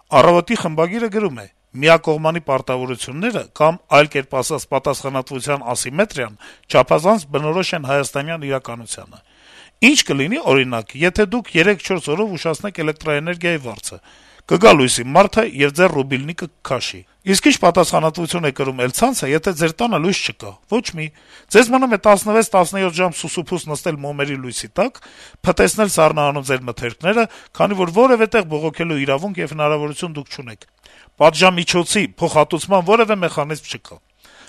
Առավոտի խմբագիրը գրում է. - «Միակողմանի պարտավորությունները կամ, այլ կերպ ասած, պատասխանատվության ասիմետրիան չափազանց բնորոշ են հայաստանյան իրականությանը: Ինչ կլինի, օրինակ, եթե դուք 3-4 օրով ուշացնեք էլեկտրաէներգիայի վարձը: Կգա լույսի մարդը եւ ձեր ռուբիլնիկը կքաշի: Իսկ ի՞նչ պատասխանատվություն է կրում էլ ցանցը, եթե ձեր տանը լույս չկա: Ոչ մի: Ձեզ մնում է 16-17 ժամ սուսուփուս նստել մոմերի լույսի տակ, փտեցնել սառնարանում ձեր մթերքները, քանի որ որեւէ տեղ բողոքելու իրավունք եւ հնարավորություն դուք չունեք: Պատժամիջոցի, փոխհատուցման որեւէ մեխանիզմ չկա: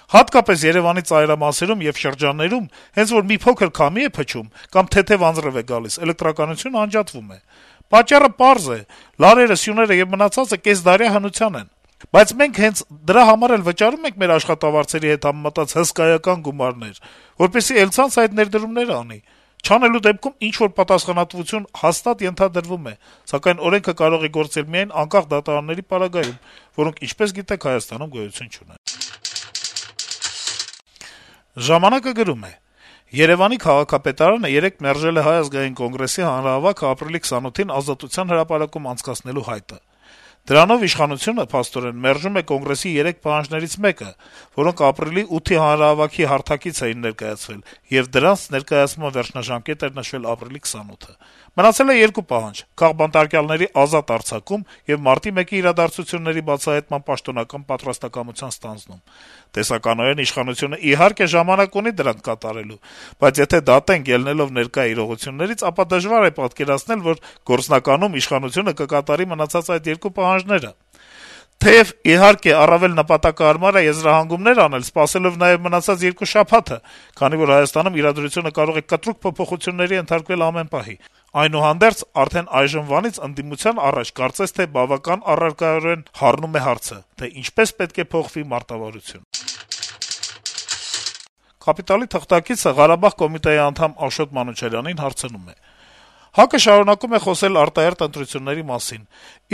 Հատկապես Երեւանի ծայրամասերում եւ շրջաններում, հենց որ մի փոքր քամի է փչում կամ թեթեւ անձրեւ է գալիս, էլեկտրականությունը անջատվում է: Պատճառը պարզ է. լարերը, սյուները եւ մնացածը կեսդարյա հնության են: Բայց մենք հենց դրա համար էլ վճարում ենք մեր աշխատավարձերի հետ համեմատած հսկայական գումարներ, որպեսզի էլ ցանցը այդ ներդրումները անի: Չանելու դեպքում ինչ-որ պատասխանատվություն հաստատ ենթադրվում է, սակայն օրենքը կարող է գործել միայն անկախ դատարանների պարագայում, որոնք, ինչպես գիտեք, Հայաստանում գոյություն չունեն»: «Ժամանակ»-ը գրում է. - «Երեւանի քաղաքապետարանը երեկ մերժել է Հայ ազգային կոնգրեսի հանրահավաքը ապրիլի 28-ին Ազատության հրապարակում անցկացնելու հայտը: Դրանով իշխանությունը, փաստորեն, մերժում է Կոնգրեսի 3 պահանջներից մեկը, որոնք ապրիլի 8-ի հանրահավաքի հարթակից էին ներկայացվել, եւ դրանց ներկայացման վերջնաժամկետ էր նշվել ապրիլի 28-ը: Մնացել է 2 պահանջ՝ քաղբանտարկյալների ազատ արձակում եւ մարտի 1-ի իրադարձությունների բացահայտման պաշտոնական պատրաստակամության ստանձնում: Տեսականորեն իշխանությունը, իհարկե, ժամանակ ունի դրանք կատարելու, բայց եթե դատենք ելնելով ներկա իրողություններից, ապա դժվար է պատկերացնել, որ գործնականում իշխանությունը կկատարի մնացած այդ 2 պահանջները: Թեեւ, իհարկե, առավել նպատակահարմար է եզրահանգումներ անել, սպասելով նաեւ մնացած 2 շաբաթը, քանի որ Հայաստանում իրադրությունը կարող է կտրուկ փոփոխությունների ենթարկվել ամեն պահի: Այնուհանդերձ, արդեն այժմվանից ընդդիմության առաջ կարծես թե բավական առարկայորեն հառնում է հարցը, թե ինչպես պետք է փոխվի մարտավարությունը»: «Կապիտալ»-ի թղթակիցը Ղարաբաղ կոմիտեի անդամ Աշոտ Մանուչարյանին հարցնում է. - «ՀԱԿ-ը շարունակում է խոսել արտահերթ ընտրությունների մասին,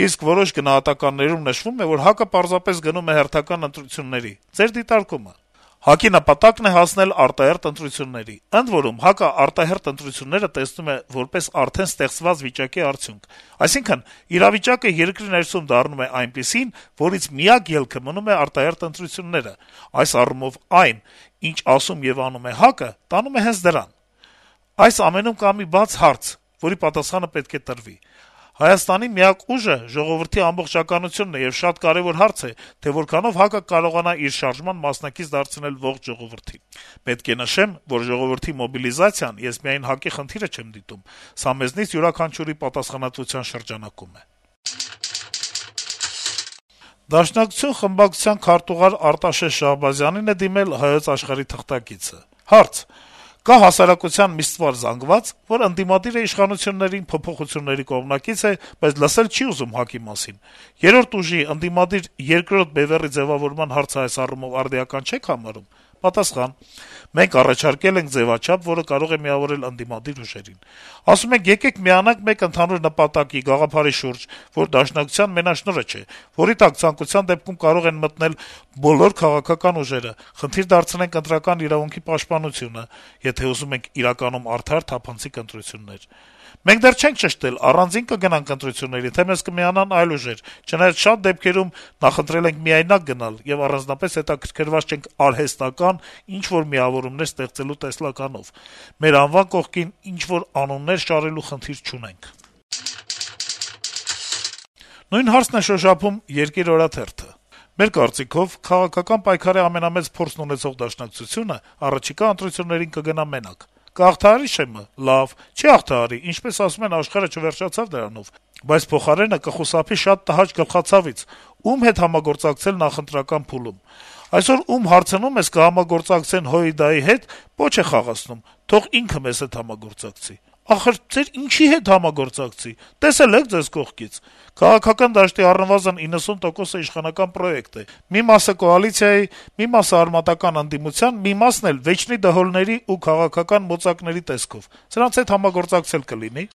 իսկ որոշ գնահատականներում նշվում է, որ ՀԱԿ-ը պարզապես գնում է հերթական ընտրությունների: Ձեր դիտարկո՞ւմը»: ՀԱԿ-ի նպատակն է հասնել արտահերթ ընտրությունների: Ընդ որում, ՀԱԿ-ը արտահերթ ընտրությունները տեսնում է որպես արդեն ստեղծված վիճակի արդյունք: Այսինքն, իրավիճակը երկրի ներսում դառնում է այնպիսին, որից միակ ելքը մնում է արտահերթ ընտրությունները: Այս առումով այն, ինչ ասում եւ անում է ՀԱԿ-ը, տանում է հենց դրան: Այս ամենում կա մի բաց հարց, որի պատասխանը պետք է տրվի: Հայաստանի միակ ուժը ժողովրդի ամբողջականությունն է, եւ շատ կարեւոր հարց է, թե որքանով ՀԱԿ-ը կարողանա իր շարժման մասնակից դարձնել ողջ ժողովրդին: Պետք է նշեմ, որ ժողովրդի մոբիլիզացիան ես միայն ՀԱԿ-ի խնդիրը չեմ դիտում: Սա մեզնից յուրաքանչյուրի պատասխանատվության շրջանակում է»: Դաշնակցություն խմբակցության քարտուղար Արտաշես Շահբազյանին է դիմել «Հայոց Աշխարհ»-ի թղթակիցը: Հարց. - «Կա հասարակության մի ստվար զանգված, որ ընդդիմադիր է իշխանություններին, փոփոխությունների կողմնակից է, բայց լսել չի ուզում ՀԱԿ-ի մասին: Երրորդ ուժի՝ ընդդիմադիր երկրորդ բեւեռի ձեւավորման հարցը այս առումով արդիական չե՞ք համարում»: Պատասխան. - «Մենք առաջարկել ենք ձեւաչափ, որը կարող է միավորել ընդդիմադիր ուժերին: Ասում ենք՝ եկեք միանանք մեկ ընդհանուր նպատակի, գաղափարի շուրջ, որ Դաշնակցության մենաշնորհը չէ, որի տակ ցանկության դեպքում կարող են մտնել բոլոր քաղաքական ուժերը, խնդիր դարձնենք ընտրական իրավունքի պաշտպանությունը, եթե ուզում ենք իրականում արդար, թափանցիկ ընտրություններ: Մենք դեռ չենք ճշտել՝ առանձին կգնանք ընտրությունների, թե մեզ կմիանան այլ ուժեր, չնայած շատ դեպքերում նախընտրել ենք միայնակ գնալ եւ առանձնապես հետաքրքրված չենք արհեստական ինչ-որ միավորումներ ստեղծելու տեսլականով: Մեր անվան կողքին ինչ-որ անուններ շարելու խնդիր չունենք»: Նույն հարցն է շոշափում «Երկիր» օրաթերթը. - «Մեր կարծիքով, քաղաքական պայքարի ամենամեծ փորձն ունեցող Դաշնակցությունը առաջիկա ընտրություններին կգնա մենակ: Կհաղթահարի ՇՄ: Լավ, չի հաղթահարի, ինչպես ասում են, աշխարհը չվերջացավ դրանով: Բայց փոխարենը կխուսափի շատ տհաճ գլխացավից՝ ում հետ համագործակցել նախընտրական փուլում: Այսօր ում հարցնում ես՝ կհամագործակցեն ՀՅԴ-ի հետ, պոչ է խաղացնում՝ թող ինքը մեզ հետ համագործակցի: Ախր ձեր ինչի՞ հետ համագործակցի: Տեսել եք ձեզ կողքից: Քաղաքական դաշտի առնվազն 90%-ը իշխանական պրոյեկտ է: Մի մասը կոալիցիայի, մի մասը արմատական ընդդիմության, մի մասն էլ վեճնի դհոլների ու քաղաքական մոծակների տեսքով: Սրանց հետ համագործակցել կլինի»: